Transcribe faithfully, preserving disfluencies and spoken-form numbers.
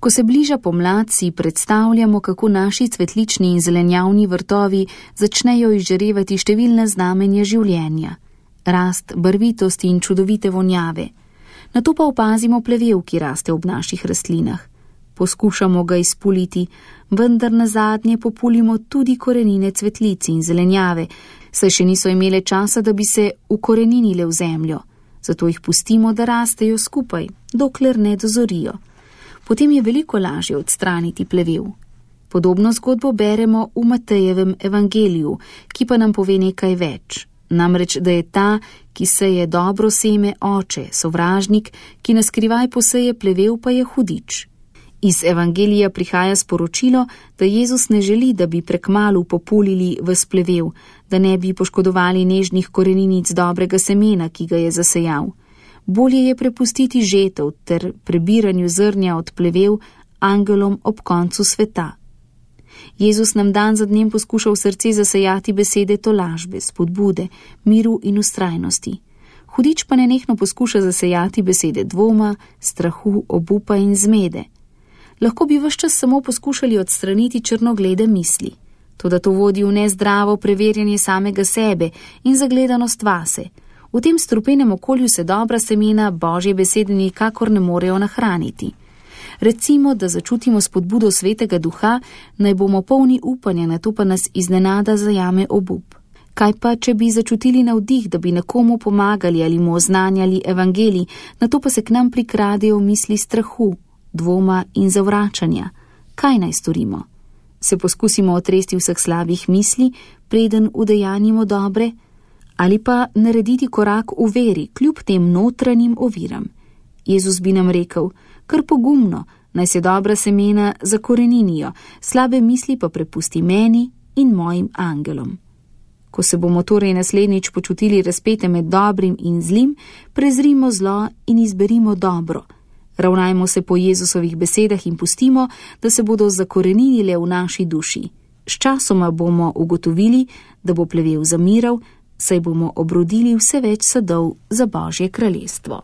Ko se bliža pomlad, si predstavljamo, kako naši cvetlični in zelenjavni vrtovi začnejo izžarevati številna znamenja življenja, rast, barvitosti in čudovite vonjave. Nato pa opazimo plevel, ki raste ob naših rastlinah. Poskušamo ga izpuliti, vendar nazadnje populimo tudi korenine cvetlic in zelenjave, saj še niso imele časa, da bi se ukoreninile v zemljo. Zato jih pustimo, da rastejo skupaj, dokler ne dozorijo. Potem je veliko lažje odstraniti plevel. Podobno zgodbo beremo v Matejevem evangeliju, ki pa nam pove nekaj več. Namreč, da je ta, ki seje dobro seme, oče, sovražnik, ki na skrivaj poseje plevel, pa je hudič. Iz evangelija prihaja sporočilo, da Jezus ne želi, da bi prekmalu populili ves plevel, da ne bi poškodovali nežnih koreninic dobrega semena, ki ga je zasejal. Bolje je prepustiti žetev ter prebiranju zrnja od plevel angelom ob koncu sveta. Jezus nam dan za dnem poskuša v srce zasejati besede tolažbe, spodbude, miru in vztrajnosti. Hudič pa nenehno poskuša zasejati besede dvoma, strahu, obupa in zmede. Lahko bi ves čas samo poskušali odstraniti črnoglede misli. Toda to vodi v nezdravo preverjanje samega sebe in zagledanost vase. V tem strupenem okolju se dobra semena Božje besede nikakor ne morejo nahraniti. Recimo, da začutimo spodbudo Svetega Duha, naj bomo polni upanja, na to pa nas iznenada zajame obup. Kaj pa, če bi začutili navdih, da bi nekomu pomagali ali mu oznanjali evangelij, na to pa se k nam prikradejo misli strahu, dvoma in zavračanja? Kaj naj storimo? Se poskusimo otresti vseh slabih misli, preden udejanjimo dobre? Ali pa narediti korak v veri, kljub tem notranjim oviram? Jezus bi nam rekel, kar pogumno, naj se dobra semena zakoreninijo, slabe misli pa prepusti meni in mojim angelom. Ko se bomo torej naslednjič počutili razpete med dobrim in zlim, prezrimo zlo in izberimo dobro. Ravnajmo se po Jezusovih besedah in pustimo, da se bodo zakoreninile v naši duši. Sčasoma bomo ugotovili, da bo plevel zamiral, saj bomo obrodili vse več sadov za Božje kraljestvo.